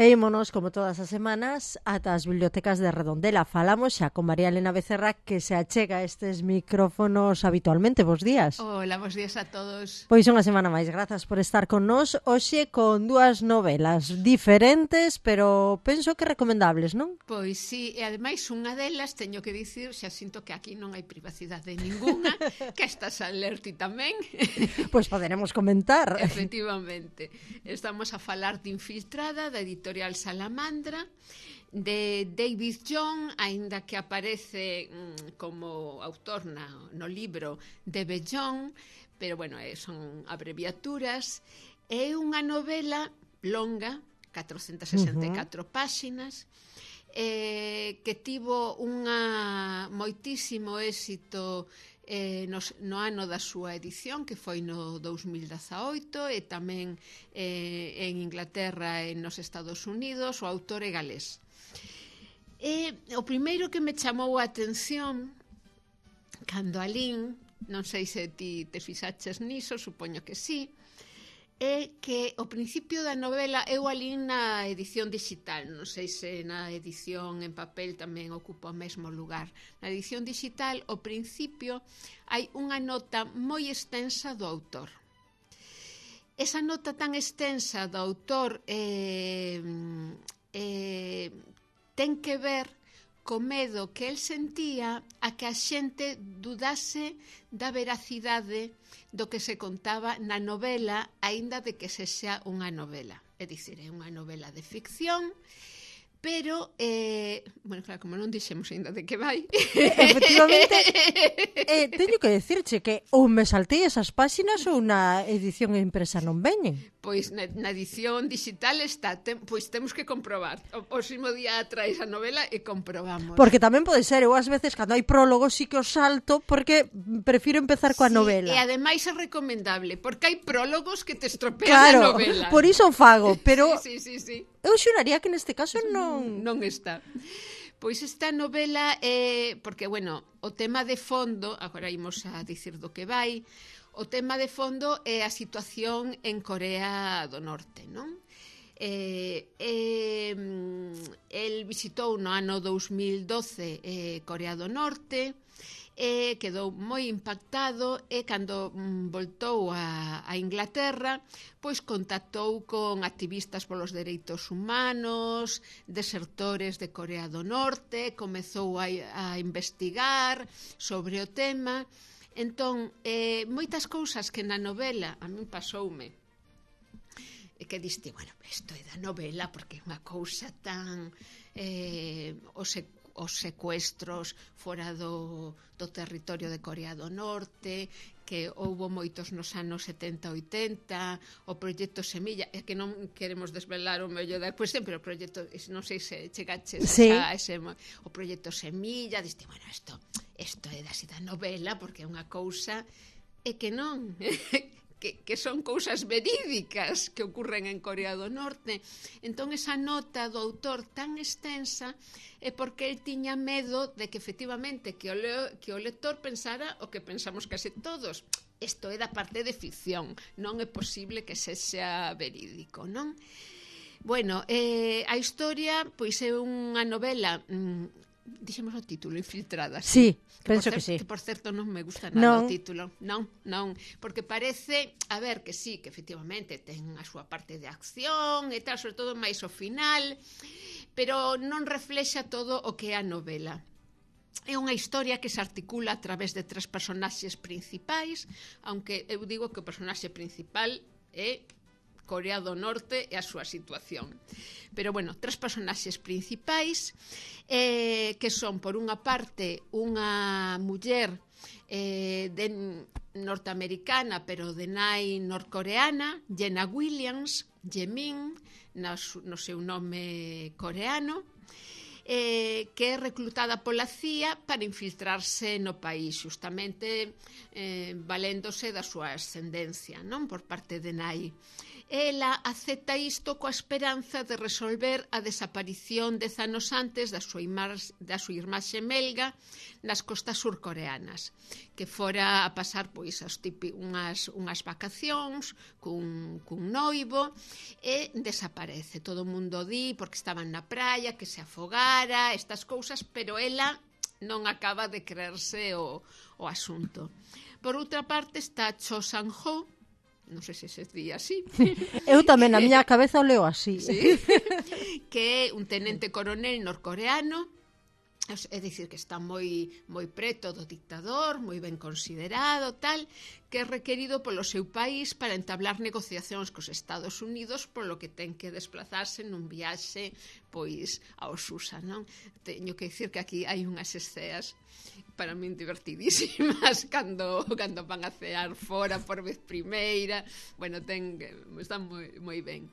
E ímonos, como todas as semanas, ata as bibliotecas de Redondela. Falamos xa con María Elena Becerra, que se achega a estes micrófonos habitualmente. Bos días. Hola, bos días a todos. Pois unha semana máis, grazas por estar con nós. Hoxe con dúas novelas diferentes, pero penso que recomendables, non? Pois sí, e ademais unha delas, teño que dicir, xa sinto que aquí non hai privacidade ninguna, que estás a ler ti tamén. Pois poderemos comentar. Efectivamente. Estamos a falar de Infiltrada, da editorial Salamandra, de David John, aínda que aparece como autor no libro de Bellón, pero bueno, son abreviaturas. É unha novela longa, 464 páxinas, que tivo moitísimo éxito no ano da súa edición, que foi no 2018, e tamén en Inglaterra e nos Estados Unidos. O autor é galés. O primeiro que me chamou a atención cando alín, non sei se ti te fixaches niso, supoño que sí, é que o principio da novela eu alín na edición digital, non sei se na edición en papel tamén ocupa o mesmo lugar. Na edición digital, ao principio, hai unha nota moi extensa do autor. Esa nota tan extensa do autor ten que ver co medo que el sentía a que a xente dudase da veracidade do que se contaba na novela, aínda de que sexa unha novela. É dicir, é unha novela de ficción, pero, bueno, claro, como non dixemos aínda de que vai. Efectivamente, teño que decirche que ou me saltei esas páxinas ou na edición impresa non veñen. Pois na edición digital está, pois temos que comprobar. O próximo día traes a novela e comprobamos. Porque tamén pode ser, eu ás veces cando hai prólogo sí que o salto porque prefiro empezar coa novela. E ademais é recomendable, porque hai prólogos que te estropean a novela. Claro, por iso o fago, pero sí. Eu xuraría que neste caso non está. Pois esta novela porque, bueno, o tema de fondo, agora imos a dicir do que vai, o tema de fondo é a situación en Corea do Norte, non? El visitou no ano 2012 Corea do Norte, quedou moi impactado e cando voltou a Inglaterra, pois contactou con activistas polos dereitos humanos, desertores de Corea do Norte, comezou a investigar sobre o tema. Entón, moitas cousas que na novela a min pasoume, que diste, bueno, isto é da novela porque é unha cousa tan os secuestros fora do territorio de Corea do Norte, que houbo moitos nos anos 70-80, o proxecto Semilla, é que non queremos desvelar o mello da cuestión, pero o proxecto, non sei se chegaches a ese, o proxecto Semilla, diste, bueno, isto é da novela, porque é unha cousa, é que non... que son cousas verídicas que ocurren en Corea do Norte. Entón, esa nota do autor tan extensa é porque el tiña medo de que, efectivamente, que o lector pensara o que pensamos case todos. Isto é da parte de ficción, non é posible que sexa verídico, non? Bueno, a historia, pois é unha novela... Dixemos o título, Infiltrada. Sí, penso que sí. Que, por certo, non me gusta nada o título. Non, porque parece, a ver, que sí, que efectivamente ten a súa parte de acción e tal, sobre todo máis o final, pero non reflexa todo o que é a novela. É unha historia que se articula a través de tres personaxes principais, aunque eu digo que o personaxe principal é Corea do Norte e a súa situación. Pero, bueno, tres personaxes principais que son, por unha parte, unha muller norteamericana, pero de nai norcoreana, Jenna Williams, Jemin, no seu nome coreano, que é reclutada pola CIA para infiltrarse no país, justamente valéndose da súa ascendencia, non, por parte de nai. ela acepta isto coa esperanza de resolver a desaparición 10 anos antes da súa irmá xemelga nas costas surcoreanas, que fora a pasar pois unhas vacacións cun noivo e desaparece. Todo o mundo di porque estaban na praia, que se afogara, estas cousas, pero ela non acaba de creerse o asunto. Por outra parte está Cho Sang-ho, non sei se se di así. Eu tamén, na miña cabeza o leo así. Sí. Que é un tenente coronel norcoreano, é dicir, que está moi preto do dictador, moi ben considerado, tal, que é requerido polo seu país para entablar negociacións cos Estados Unidos, polo que ten que desplazarse nun viaxe pois aos USA, non? Teño que dicir que aquí hai unhas esceas para min divertidísimas cando van a cear fora por vez primeira. Bueno, están moi ben.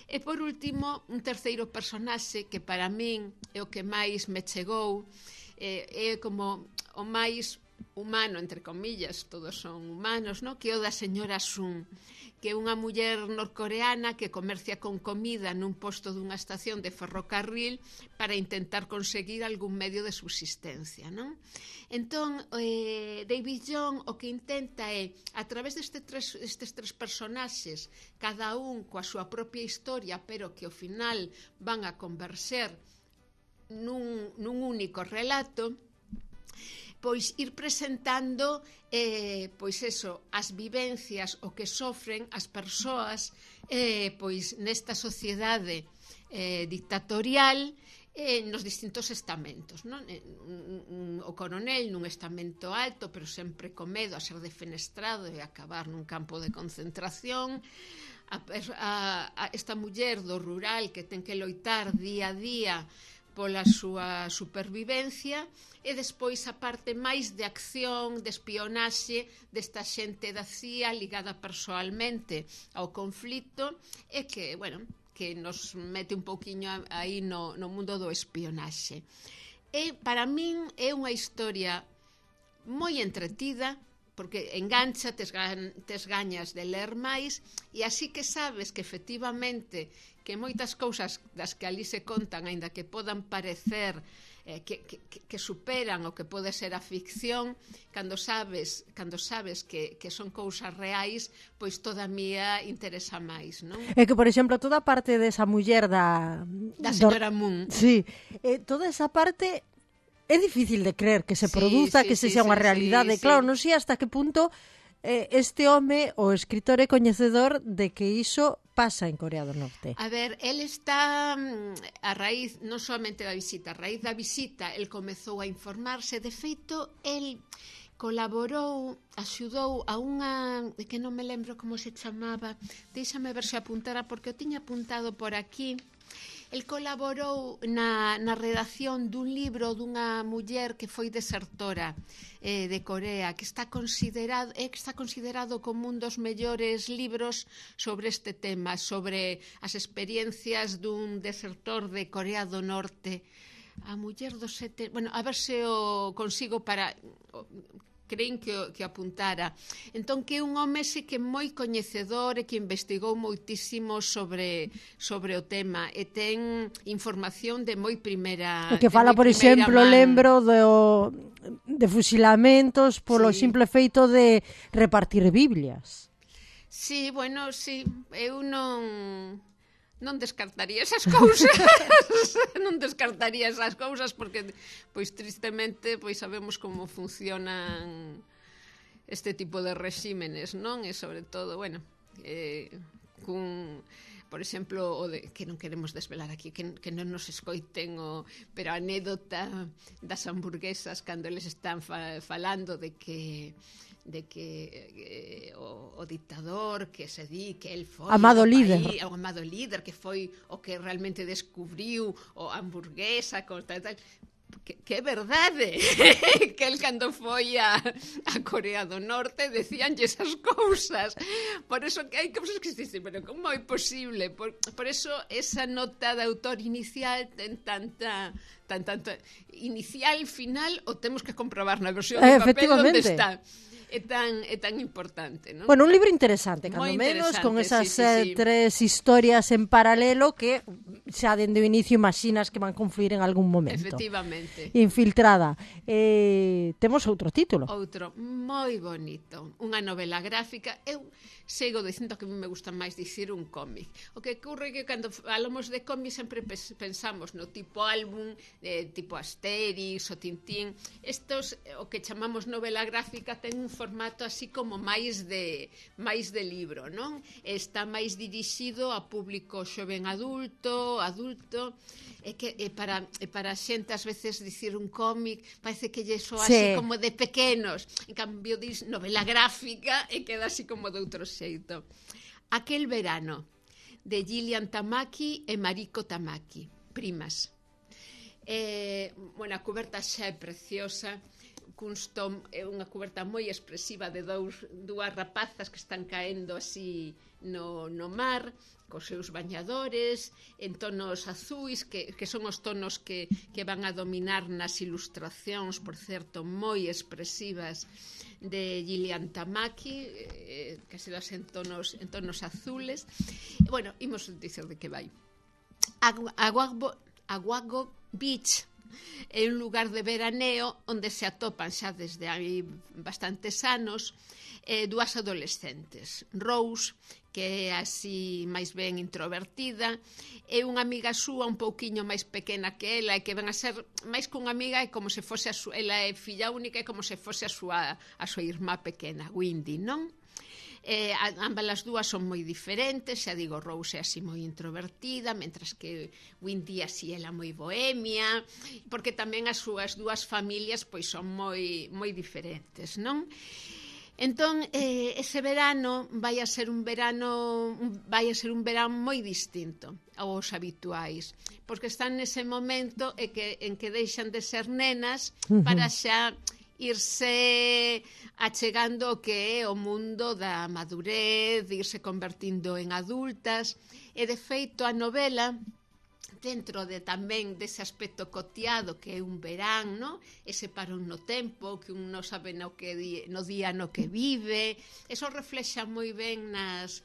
E por último, un terceiro personaxe que para min é o que máis me chegou, é como o máis humano, entre comillas, todos son humanos, no? Que é o da señora Sun, que é unha muller norcoreana que comercia con comida nun posto dunha estación de ferrocarril para intentar conseguir algún medio de subsistencia, non? Entón, David Young o que intenta é, a través destes tres personaxes, cada un coa súa propia historia, pero que ao final van a converser nun único relato, pois ir presentando pois eso, as vivencias o que sofren as persoas pois nesta sociedade dictatorial nos distintos estamentos, non? O coronel nun estamento alto, pero sempre con medo a ser defenestrado e acabar nun campo de concentración, esta muller do rural que ten que loitar día a día pola súa supervivencia, e despois a parte máis de acción, de espionaxe desta xente da CIA ligada persoalmente ao conflito, e que, bueno, que nos mete un pouquiño aí no mundo do espionaxe. E para min é unha historia moi entretida, porque engancha, tes gañas de ler máis, e así que sabes que efectivamente que moitas cousas das que ali se contan, aínda que podan parecer que superan o que pode ser a ficción, cando sabes que son cousas reais, pois todavía interesa máis, non? É que, por exemplo, toda a parte desa muller da señora Moon. Sí, toda esa parte é difícil de creer que se produza, que se sea unha realidade. Claro, non sei hasta que punto este home, o escritor e coñecedor de que iso pasa en Corea do Norte. A ver, el está a raíz, non somente da visita, a raíz da visita, el comezou a informarse. De feito, el colaborou, axudou a unha, que non me lembro como se chamaba, deixame ver se apuntara, porque o tiña apuntado por aquí. El colaborou na redacción dun libro dunha muller que foi desertora de Corea, que está considerado como un dos mellores libros sobre este tema, sobre as experiencias dun desertor de Corea do Norte. A muller dos sete... Bueno, a ver se o consigo para... creen que apuntara. Entón, que é un home que é moi coñecedor e que investigou moitísimo sobre o tema e ten información de moi primeira man. O que fala, por exemplo, lembro de fusilamentos polo simple feito de repartir Biblias. Sí, bueno, sí. Eu non descartaría esas cousas. Non descartaría esas cousas porque, pois, tristemente, pois sabemos como funcionan este tipo de rexímenes, non? E sobre todo, bueno, por exemplo, o de, que non queremos desvelar aquí, que non nos escoiten, pero a anécdota das hamburguesas cando eles están falando de que o dictador que se di que el foi o amado líder que foi o que realmente descubriu a hamburguesa con tal, que é verdade que el cando foi a Corea do Norte decíanlle esas cousas. Por eso que hai cousas que se dicen, pero como é posible? Por eso esa nota de autor inicial ten tanta inicial, final, o temos que comprobar na versión de papel onde está. é tan importante, non? Bueno, un libro interesante, cando menos, con esas tres historias en paralelo que xa dende o inicio imaginas que van confluir en algún momento. Efectivamente. Infiltrada. Temos outro título. Outro moi bonito, unha novela gráfica. Eu sigo dicindo que a mí me gusta máis dicir un cómic. O que ocurre que cando falamos de cómic sempre pensamos no tipo álbum, tipo Asterix ou Tintín. Estos, o que chamamos novela gráfica, ten un formato así como máis de libro, non? Está máis dirixido a público xoven adulto, e para a xente ás veces dicir un cómic parece que lle soa así como de pequenos. En cambio dis novela gráfica e queda así como de outro xeito. Aquel verano, de Gillian Tamaki e Mariko Tamaki, primas. Bueno, a coberta xa é preciosa, é unha coberta moi expresiva de dúas rapazas que están caendo así no mar, cos seus bañadores, en tonos azuis, que son os tonos que van a dominar nas ilustracións, por certo, moi expresivas de Gillian Tamaki, que se das en tonos azules. Bueno, imos dicer de que vai. Aguago Beach é un lugar de veraneo onde se atopan xa desde hai bastantes anos dúas adolescentes. Rose, que é así máis ben introvertida, e unha amiga súa un pouquiño máis pequena que ela, e que ven a ser máis que unha amiga, é como se fose ela é filla única, é como se fose a súa irmá pequena, Windy, non? Ambas as dúas son moi diferentes, xa digo, Rose é así moi introvertida, mentras que Windy así ela moi bohemia, porque tamén as súas dúas familias pois son moi diferentes, non? Entón, ese verano vai a ser un verano moi distinto aos habituais, porque están nese momento en que deixan de ser nenas para xa irse achegando o que é o mundo da madurez, de irse convertindo en adultas, e de feito a novela, dentro de tamén dese aspecto cotiado que é un verán, no? Ese parón no tempo, que un non sabe no día no que vive, eso reflexa moi ben nas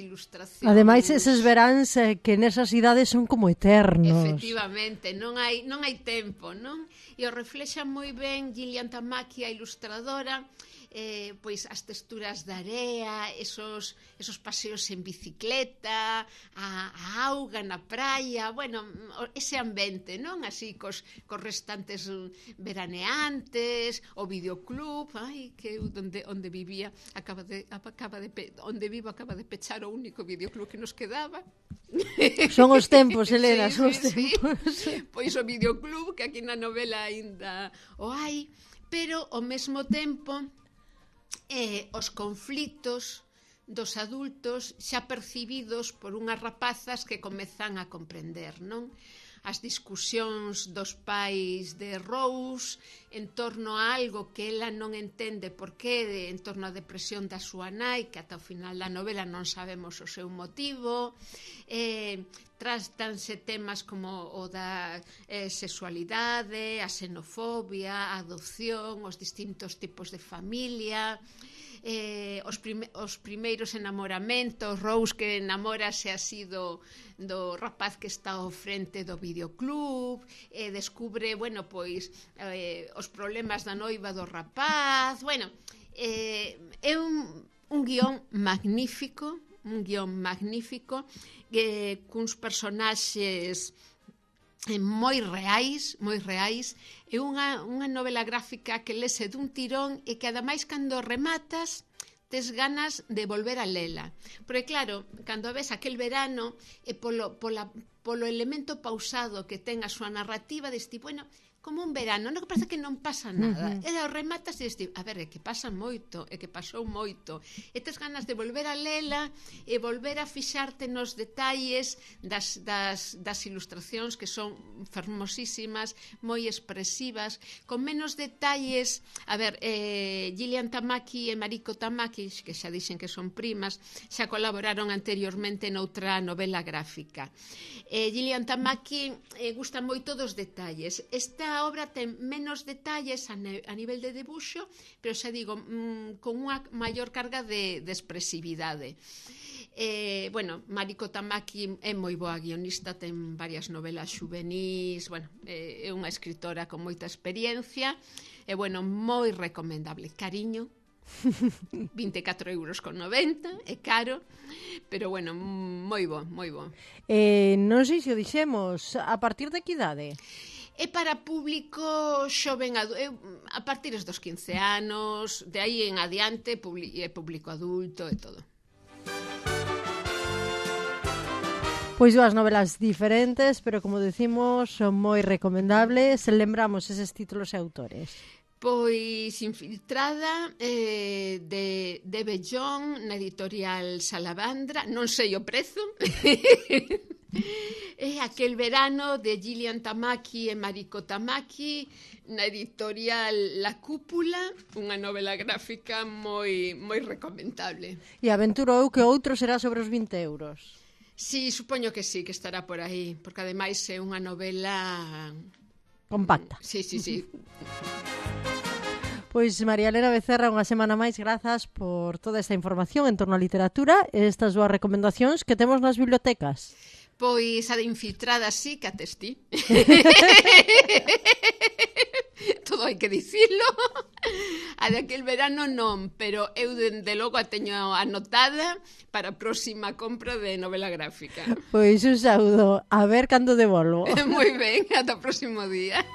ilustracións. Ademais, eses veráns que nesas idades son como eternos. Efectivamente, non hai tempo, non? E o reflexa moi ben Gillian Tamaki, a ilustradora, pois as texturas da area, esos paseos en bicicleta, a auga na praia, bueno, ese ambiente, non? Así cos restantes veraneantes, o videoclub, que onde vivía onde vivo acaba de pechar o único videoclub que nos quedaba. Son os tempos, Helena, son os tempos. Pois o videoclub, que aquí na novela aínda o hai, pero ao mesmo tempo os conflitos dos adultos xa percibidos por unhas rapazas que comezan a comprender, non? As discusións dos pais de Rose en torno a algo que ela non entende por qué, en torno á depresión da súa nai, que ata o final da novela non sabemos o seu motivo. Tratanse temas como o da sexualidade, a xenofobia, a adopción, os distintos tipos de familia, os primeiros enamoramentos, Rose que enamórase así do rapaz que está ao frente do videoclub, descubre, bueno, pois os problemas da noiva do rapaz, bueno, é un guión magnífico, cuns personaxes moi reais, é unha novela gráfica que lese dun tirón e que ademais cando rematas tes ganas de volver a lela, porque claro, cando ves aquel verano e polo elemento pausado que ten a súa narrativa, deste, bueno, como un verano, non que parece que non pasa nada, e o rematas e deste, a ver, é que pasa moito, é que pasou moito, e tes ganas de volver a lela e volver a fixarte nos detalles das ilustracións que son fermosísimas, moi expresivas, con menos detalles. A ver, Gillian Tamaki e Mariko Tamaki, que xa dixen que son primas, xa colaboraron anteriormente noutra novela gráfica. Gillian Tamaki gusta moito dos detalles. Esta esta obra ten menos detalles a nivel de debuxo, pero xa digo, con unha maior carga de expresividade. Bueno, Mariko Tamaki é moi boa guionista, ten varias novelas xuvenís, bueno, é unha escritora con moita experiencia, e bueno, moi recomendable. Cariño, 24,90 euros, é caro, pero bueno, moi bo, moi bo. Non sei se o dixemos, a partir de que idade? É para público xoven, a partir dos 15 anos, de aí en adiante é público adulto e todo. Pois dúas novelas diferentes, pero como decimos, son moi recomendables. Lembramos eses títulos e autores. Pois Infiltrada, de Bellón, na editorial Salamandra, non sei o prezo. É Aquel verano, de Gillian Tamaki e Mariko Tamaki, na editorial La Cúpula, unha novela gráfica moi recomendable. E aventuro eu que outro será sobre os 20 euros. Sí, supoño que sí, que estará por aí, porque ademais é unha novela compacta. Sí. Pois María Elena Becerra, unha semana máis, grazas por toda esta información en torno á literatura e estas dúas recomendacións que temos nas bibliotecas. Pois a de Infiltrada sí, que atestí. Todo hai que dicilo. A de Aquel verano non, pero eu dende logo a teño anotada para a próxima compra de novela gráfica. Pois un saúdo, a ver cando devolvo. Moi ben, ata o próximo día.